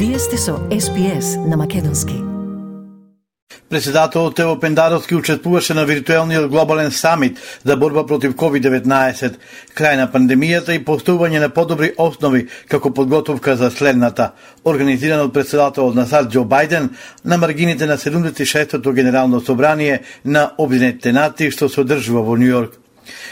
Вие сте со SPS на македонски. Председателот Тево Пендаровски учествуваше на виртуелниот глобален самит за борба против COVID-19, крај на пандемијата и поставување на подобри основи како подготовка за следната, организиран од председателот на САД Џо Бајден на маргините на 76-тото Генерално собрание на Обединетите нации што се одржува во Њујорк.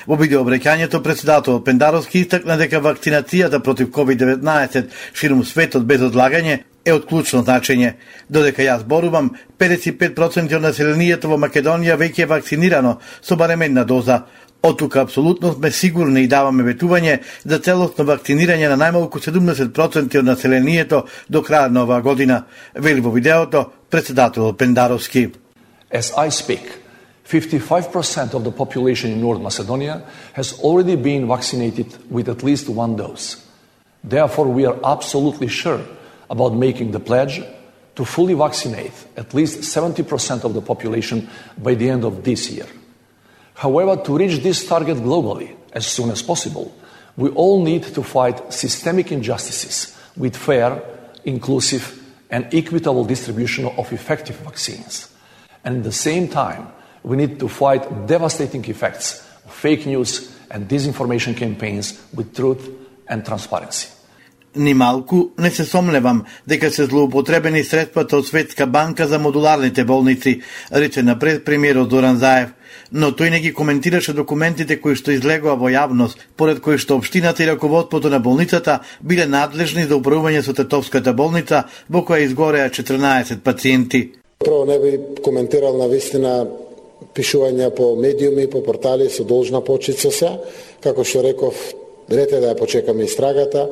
Во видеообраќањето председателот Пендаровски истакна дека вакцинацијата против COVID-19 ширум светот без одлагање е од клучно значење. Додека јас зборувам, 55% од населението во Македонија веќе е вакцинирано со барем една доза. Од тука апсолутно сме сигурни и даваме ветување за целосно вакцинирање на најмалку 70% од населението до крај на оваа година, вели во видеото председателот Пендаровски. As I speak, 55% of the population in North Macedonia has already been vaccinated with at least one dose. Therefore, we are absolutely sure about making the pledge to fully vaccinate at least 70% of the population by the end of this year. However, to reach this target globally as soon as possible, we all need to fight systemic injustices with fair, inclusive, and equitable distribution of effective vaccines. And at the same time, we need to fight devastating effects of fake news and disinformation campaigns with truth and transparency. Ни малку не се сомневам дека се злоупотребени средствата од Светска банка за модуларните болници, рече напред премиерот Зоран Заев, но тој не ги коментираше документите кои што излегоа во јавност, поред кои што општината и раководството на болницата биле надлежни за управување со Тетовската болница, во која изгореа 14 пациенти. Прво не би коментирал на вистина пишувања по медиуми, по портали со должна почит со се, како што реков, ред е да ја почекаме истрагата.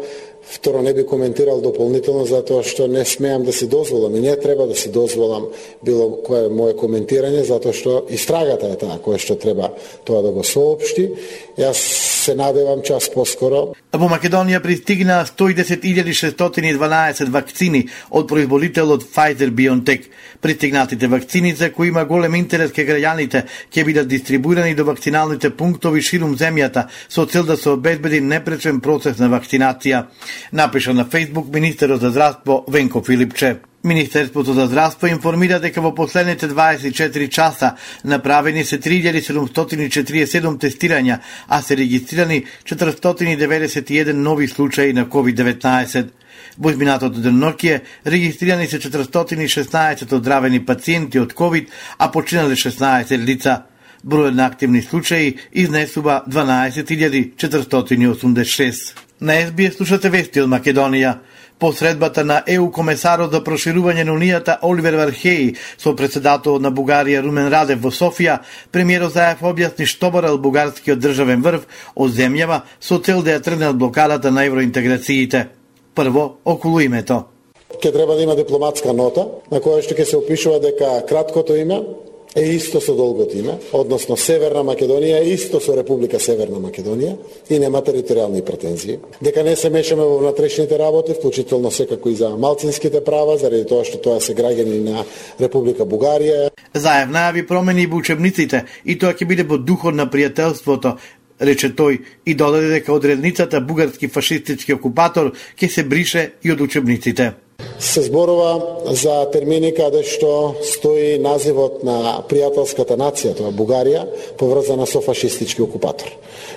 Второ, не би коментирал дополнително затоа што не смеам да си дозволам и не треба да си дозволам било кое мое коментирање, затоа што истрагата е таа која што треба тоа да го соопшти. Јас се надевам час поскоро. Во Македонија пристигнаа 110.612 вакцини од производителот Pfizer-BioNTech. Пристигнатите вакцини за кои има голем интерес кај граѓаните ќе бидат дистрибуирани до вакциналните пунктови ширум земјата со цел да се обезбеди непречен процес на вакцинација, напиша на Facebook министерот за здравство Венко Филипче. Министерството за здравство информира дека во последните 24 часа направени се 3747 тестирања, а се регистрирани 491 нови случаи на COVID-19. Во изминатото деноноќие регистрирани се 416 оздравени пациенти од COVID, а починале 16 лица. Бројот на активни случаи изнесува 12.486. На SBS слушате вести од Македонија. По средбата на ЕУ комесарот за проширување на Унијата Оливер Вархеи со председателот на Бугарија Румен Радев во Софија, премиерот Заев објасни што барал бугарскиот државен врв од земјава со цел да ја тргне од блокадата на евроинтеграциите. Прво, околу името. Ке треба да има дипломатска нота на која што ќе се опишува дека краткото име е исто со долгото име, односно Северна Македонија е исто со Република Северна Македонија и нема територијални претензии. Дека не се мешаме во внатрешните работи, вклучително секако и за малцинските права, заради тоа што тоа се граѓани на Република Бугарија. Заев најави промени во учебниците и тоа ќе биде во духот на пријателството, рече тој и додаде дека одредницата бугарски фашистички окупатор ќе се брише и од учебниците. Се зборува за термини каде што стои називот на пријателската нација, тоа Бугарија, поврзана со фашистички окупатор.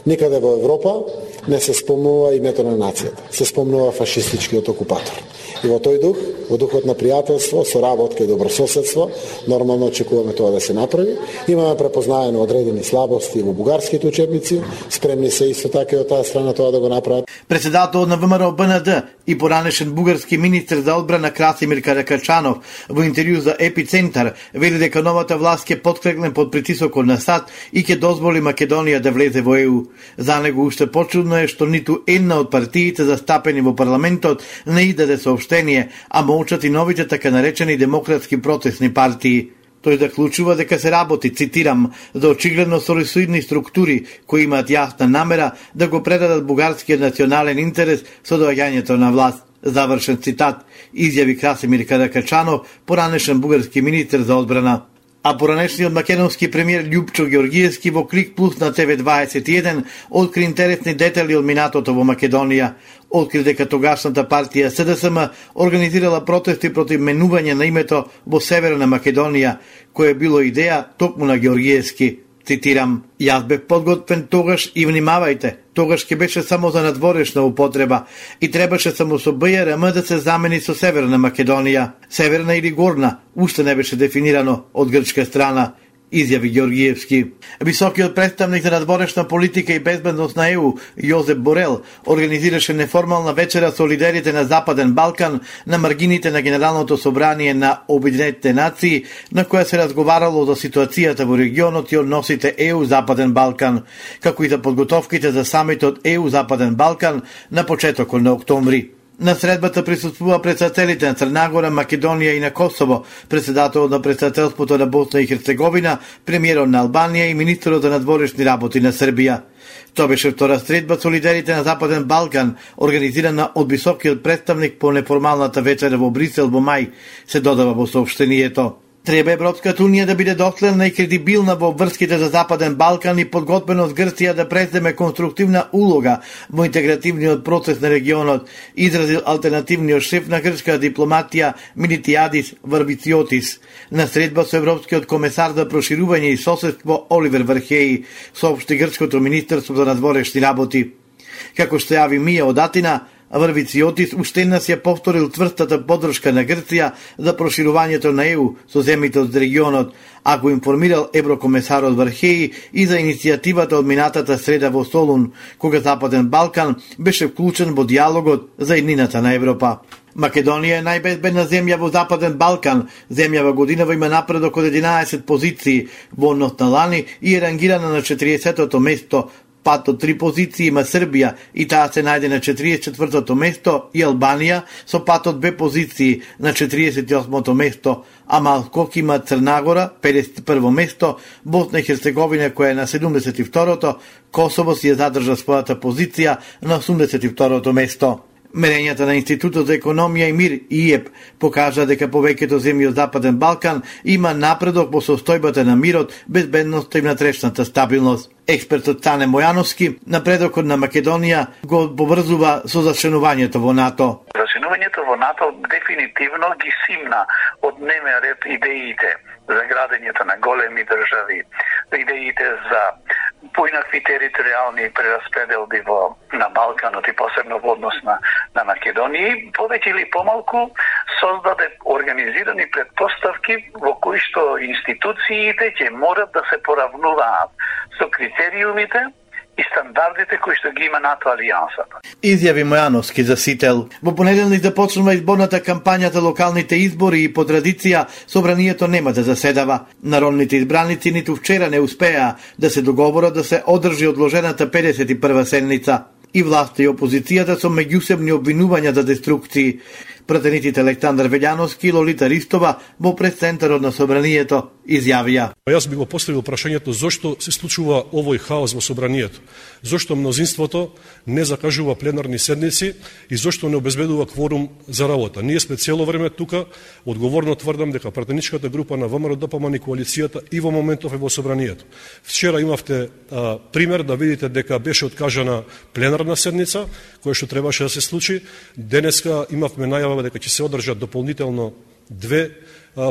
Никаде во Европа не се спомнува името на нацијата, се спомнува фашистичкиот окупатор. И во тој дух, во духот на пријателство, соработка и добрососедство, нормално очекуваме тоа да се направи. Имаме препознаено одредени слабости во бугарските учебници, спремни се исто така и од таа страна тоа да го направат. Председателот на ВМРО БНД и поранешен бугарски министер за одбрана Красимир Каракачанов во интервју за Епицентар вели дека новата власт ќе поткрекне под притисокот на САД и ќе дозволи Македонија да влезе во ЕУ. За него уште почудно е што ниту една од партиите застапени во парламентот не издаде соопштение, а молчат и новите така наречени демократски протестни партии. Тој заклучува дека се работи, цитирам, за очигледно сорисоидни структури кои имаат јасна намера да го предадат бугарскиот национален интерес со доаѓањето на власт. Завршен цитат, изјави Красимир Каракачанов, поранешен бугарски министер за одбрана. А поранешниот македонски премиер Љупчо Ѓоргиевски во Клик Плюс на ТВ21 откри интересни детали од минатото во Македонија. Откри дека тогашната партија СДСМ организирала протести против менување на името во Северна Македонија, кое било идеја токму на Георгиевски. Цитирам: "Јас бев подготвен тогаш и внимавајте, тогаш ќе беше само за надворешна употреба и требаше само со БРМ да се замени со Северна Македонија. Северна или Горна, уште не беше дефинирано од грчка страна", изјави Георгиевски. Високиот представник за надворешна политика и безбедност на ЕУ, Јозеп Борел, организираше неформална вечера со лидерите на Западен Балкан на маргините на Генералното собрание на Обединетите нации, на која се разговарало за ситуацијата во регионот и односите ЕУ-Западен Балкан, како и за подготовките за самитот ЕУ-Западен Балкан на почетокот на октомври. На средбата присуствува председателите на Црна Гора, Македонија и на Косово, председателот на председателството на Босна и Херцеговина, премиерот на Албанија и министерот за надворешни работи на Србија. Тоа беше втора средба со лидерите на Западен Балкан, организирана од високиот представник по неформалната вечера во Брисел во мај, се додава во соопштението. Треба Европската унија да биде доследна и кредибилна во врските за Западен Балкан и подготвеност Грција да преземе конструктивна улога во интегративниот процес на регионот, изразил алтернативниот шеф на грчка дипломатија Милитиадис Варвициотис на средба со Европскиот комесар за проширување и соседство Оливер Вархеи, соопшти грчкото министерство за надворешни работи. Како што јави Мија од Атина, Варвициотис уште еднаш ја повторил цврстата поддршка на Грција за проширувањето на ЕУ со земјите од регионот, а го информирал еврокомесарот Вархеи и за иницијативата од минатата среда во Солун, кога Западен Балкан беше вклучен во диалогот за еднината на Европа. Македонија е најбезбедна земја во Западен Балкан. Земјава годинава има напредок од 11 позиции во однос на лани и е рангирана на 40-тото место. Пат од 3 позиции има Србија и таа се најде на 44-тото место, и Албанија со пат од 2 позиции на 48-то место, а малку има Црна Гора 51-во место, Босна и Херцеговина која е на 72-то, Косово си ја задржа својата позиција на 82-то место. Мерењата на Институтот за економија и мир ИЕП покажа дека повеќето земји од Западен Балкан има напредок во состојбата на мирот, безбедноста и внатрешната стабилност. Експертот Стане Мојановски напредокот на Македонија го поврзува со зачленувањето во НАТО. Зачленувањето во НАТО дефинитивно ги симна од дневен ред идеите за градењето на големи држави, идеите за поинакви територијални прераспределби на Балканот и посебно во однос на Македонија, повеќе или помалку создаде организирани предпоставки во кои што институциите ќе морат да се поравнуваат со критериумите и стандардите кои што ги има НАТО алијансата. Изјави Мојановски за Сител. Во понеделник започнува изборната кампања за локалните избори и по традиција собранието нема да заседава. Народните избраници ниту вчера не успеа да се договорат да се одржи одложената 51-ва седница. И власта и опозицијата со меѓусебни обвинувања за деструкции. Пратениците Александар Велјановски и Лолита Ристова во пресцентарот на собранието изјавија: Јас би го поставил прашањето зошто се случува овој хаос во собранието, зошто мнозинството не закажува пленарни седници и зошто не обезбедува кворум за работа. Ние сме цело време тука, одговорно тврдам дека пратеничката група на ВМРО ДПМН и коалицијата и во моментов е во собранието. Вчера имавте пример да видите дека беше откажана пленарна седница, која што требаше да се случи. Денеска имавме најава дека ќе се одржат дополнително 2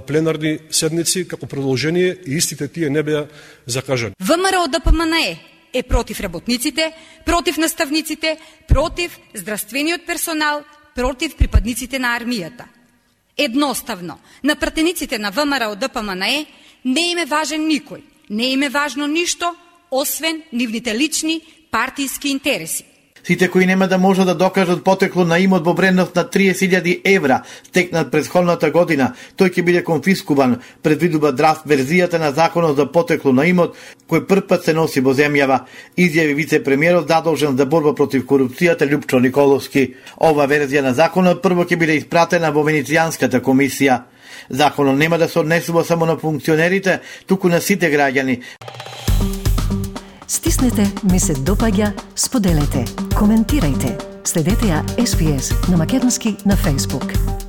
пленарни седници како продолжение и истите тие не беа закажани. ВМРО ДПМН е против работниците, против наставниците, против здравствениот персонал, против припадниците на армијата. Едноставно, на пратениците на ВМРО ДПМН не им е важен никој, не им е важно ништо, освен нивните лични партиски интереси. Сите кои нема да може да докажат потекло на имот во вредност на 30.000 евра стекнат претходната година, тој ќе биде конфискуван, предвидува драфт верзијата на законот за потекло на имот, кој првпат се носи во земјава, изјави вице-премиерот задолжен за борба против корупцијата Љупчо Николовски. Ова верзија на законот прво ќе биде испратена во Венецијанската комисија. Законот нема да се однесува само на функционерите, туку на сите граѓани. Стиснете, ми се допаѓа, споделете, коментирајте. Следете ја SPS на Македонски на Facebook.